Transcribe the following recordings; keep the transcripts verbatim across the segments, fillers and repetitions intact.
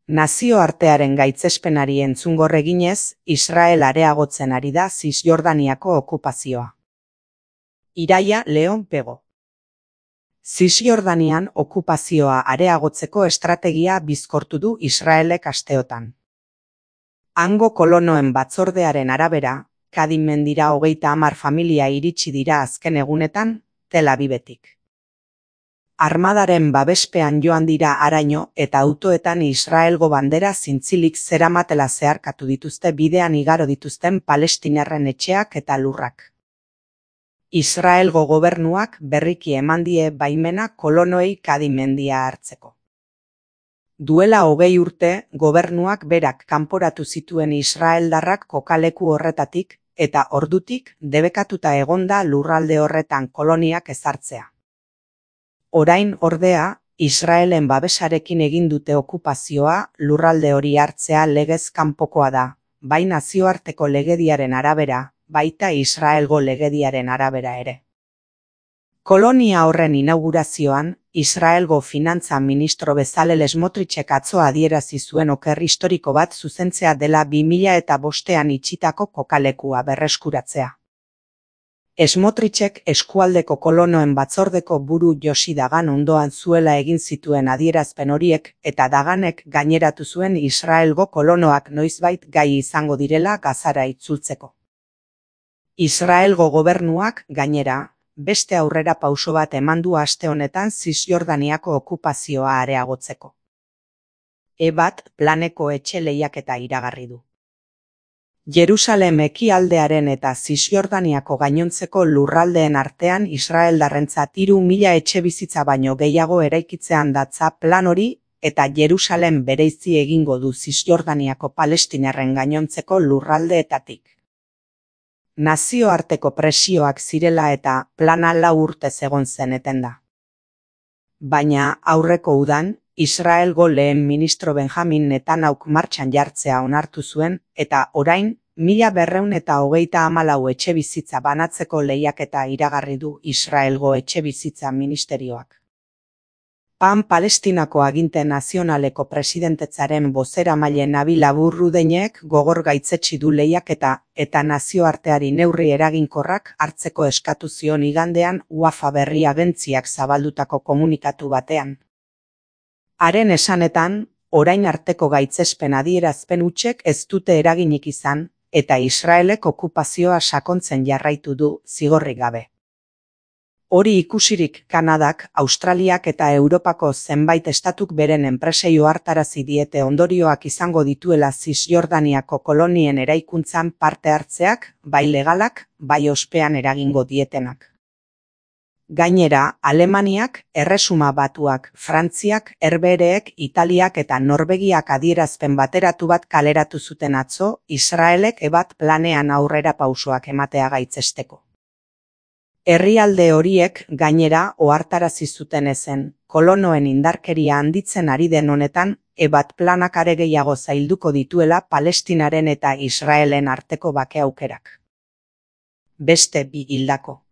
Nazioartearen gaitzespenari entzungor eginez, Israel areagotzen ari da Zisjordaniako okupazioa. Iraia Leon Pego. Zisjordanian okupazioa areagotzeko estrategia bizkortu du Israelek asteotan. Hango kolonoen batzordearen arabera, Kadim mendira hogeita hamar familia iritsi dira azken egunetan, Tel Avivetik. Armadaren babespean joan dira haraino eta autoetan Israelgo bandera zintzilik zeramatela zeharkatu dituzte bidean igaro dituzten palestinarren etxeak eta lurrak. Israelgo gobernuak berriki eman die baimena kolonoei Kadim mendia hartzeko. Duela hogei urte, gobernuak berak kanporatu zituen israeldarrak kokaleku horretatik eta ordutik debekatuta egonda lurralde horretan koloniak ezartzea. Orain ordea, Israelen babesarekin egin dute okupazioa lurralde hori hartzea legez kanpokoa da, bai nazioarteko legediaren arabera, baita Israelgo legediaren arabera ere. Kolonia horren inaugurazioan, Israelgo finantza ministro Bezalel Smotrichek atzo adierazi zuen oker historiko bat zuzentzea dela bi mila eta bostean itxitako kokalekua berreskuratzea. Smotrichek eskualdeko kolonoen batzordeko buru Josi Dagan ondoan zuela egin zituen adierazpen horiek eta Daganek gaineratu zuen Israelgo kolonoak noizbait gai izango direla Gazara itzultzeko. Israelgo gobernuak, gainera, beste aurrera pauso bat eman du aste honetan Zisjordaniako okupazioa areagotzeko. E bat planeko etxe lehiaketa iragarri du. Jerusalem ekialdearen eta Zisjordaniako gainontzeko lurraldeen artean israeldarrentzat hiru mila etxebizitza baino gehiago eraikitzean datza plan hori eta Jerusalem bereizi egingo du Zisjordaniako palestinarren gainontzeko lurraldeetatik. Nazioarteko presioak zirela eta plana lau urtez egon zen etenda. Baina aurreko udan, Israelgo lehen ministro Benjamin Netanyahuk martxan jartzea onartu zuen eta orain mila berrehun eta hogeita hamalau etxebizitza banatzeko lehiaketa iragarri du Israelgo etxebizitza ministerioak. Pan Palestinako aginte nazionaleko presidentetzaren bozeramaile Nabil Abu Rudeinek gogor gaitzetsi du lehiaketa eta nazioarteari neurri eraginkorrak hartzeko eskatu zion igandean Wafa berri agentziak zabaldutako komunikatu batean. Haren esanetan, orain arteko gaitzespen adierazpen hutsek ez dute eraginik izan, eta Israelek okupazioa sakontzen jarraitu du zigorrik gabe. Hori ikusirik Kanadak, Australiak eta Europako zenbait estatuk beren enpresei ohartarazi diete ondorioak izango dituela Zisjordaniako kolonien eraikuntzan parte hartzeak, bai legalak, bai ospean eragingo dietenak. Gainera, Alemaniak, Erresuma Batuak, Frantziak, Herbehereek, Italiak eta Norvegiak adierazpen bateratu bat kaleratu zuten atzo, Israelek ebat planean aurrera pausoak ematea gaitzesteko. Herrialde horiek, gainera, ohartarazi zuten ezen, kolonoen indarkeria handitzen ari den honetan, ebat planak are gehiago zailduko dituela Palestinaren eta Israelen arteko bake aukerak. Beste bi hildako.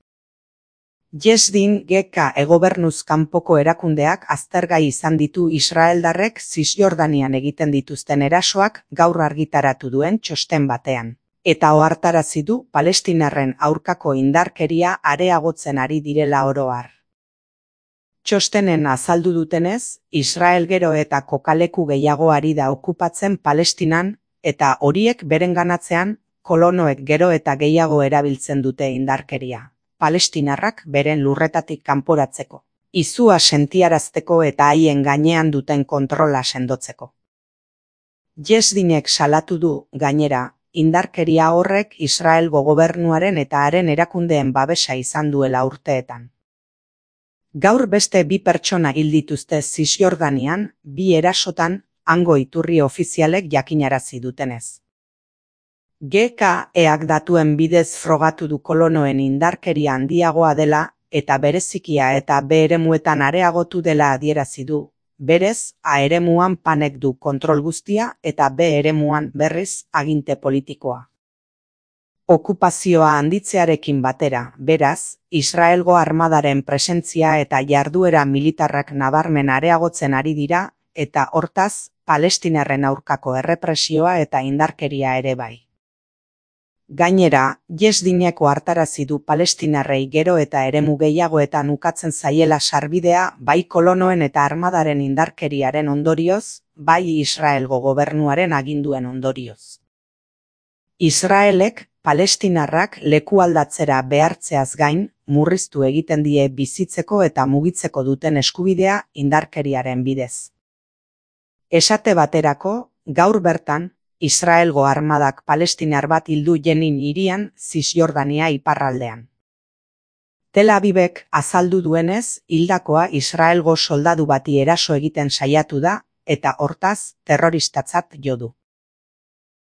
Jesdin G K egobernuz kanpoko erakundeak aztergai izan ditu Israeldarrek Zisjordanian egiten dituzten erasoak gaur argitaratu duen txosten batean, eta ohartarazi du palestinarren aurkako indarkeria areagotzen ari direla oro har. Txostenen azaldu dutenez, Israel gero eta kokaleku gehiago ari da okupatzen Palestinan, eta horiek berenganatzean, kolonoek gero eta gehiago erabiltzen dute indarkeria. Palestinarrak beren lurretatik kanporatzeko, izua sentiarazteko eta haien gainean duten kontrola sendotzeko. Jesdinek salatu du, gainera, indarkeria horrek Israelgo gobernuaren eta haren erakundeen babesa izan duela urteetan. Gaur beste bi pertsona hil dituzte Zisjordanian, bi erasotan, hango iturri ofizialek jakinarazi dutenez. G K eak datuen bidez frogatu du kolonoen indarkeria handiagoa dela eta berezikia eta B eremuetan areagotu dela adierazi du. Berez, A eremuan panek du kontrol guztia eta B eremuan berriz aginte politikoa. Okupazioa handitzearekin batera, beraz, Israelgo armadaren presentzia eta jarduera militarrak nabarmen areagotzen ari dira eta hortaz, palestinarren aurkako errepresioa eta indarkeria ere bai. Gainera, Jesdineko hartarazi du palestinarrei gero eta eremu gehiagoetan ukatzen zaiela sarbidea bai kolonoen eta armadaren indarkeriaren ondorioz, bai Israelgo gobernuaren aginduen ondorioz. Israelek palestinarrak lekualdatzera behartzeaz gain, murriztu egiten die bizitzeko eta mugitzeko duten eskubidea indarkeriaren bidez. Esate baterako, gaur bertan, Israelgo armadak palestinar bat hildu Jenin hirian Zisjordania iparraldean. Tel Avivek azaldu duenez, hildakoa Israelgo soldadu bati eraso egiten saiatu da, eta hortaz terroristatzat jo du.